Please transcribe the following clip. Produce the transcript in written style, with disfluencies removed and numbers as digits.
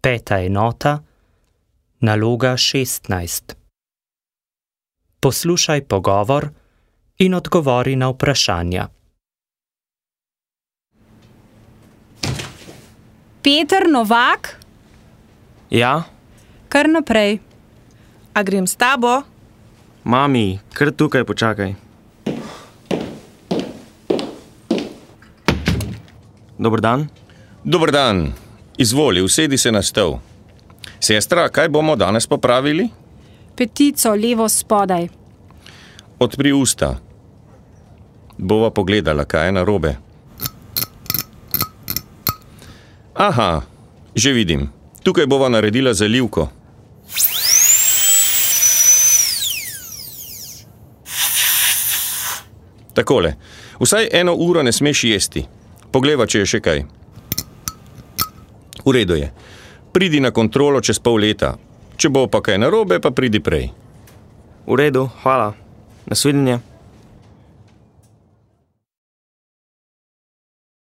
5. enota, naloga 16. Poslušaj pogovor in odgovori na vprašanja. Peter Novak? Ja? Kar naprej. A grem s tabo? Mami, kar tukaj počakaj. Dober dan. Dober dan. Izvoli, usedi se na stol. Sestra, kaj bomo danes popravili? Petico levo spodaj. Odpri usta. Bova pogledala, kaj je narobe. Aha, že vidim. Tukaj bova naredila zalivko. Takole, vsaj 1 uro ne smeš jesti. Pogleva, če je še kaj. V redu je. Pridi na kontrolo čez pol leta. Če bo pa kaj narobe, pa pridi prej. V redu, hvala. Nasvidenje.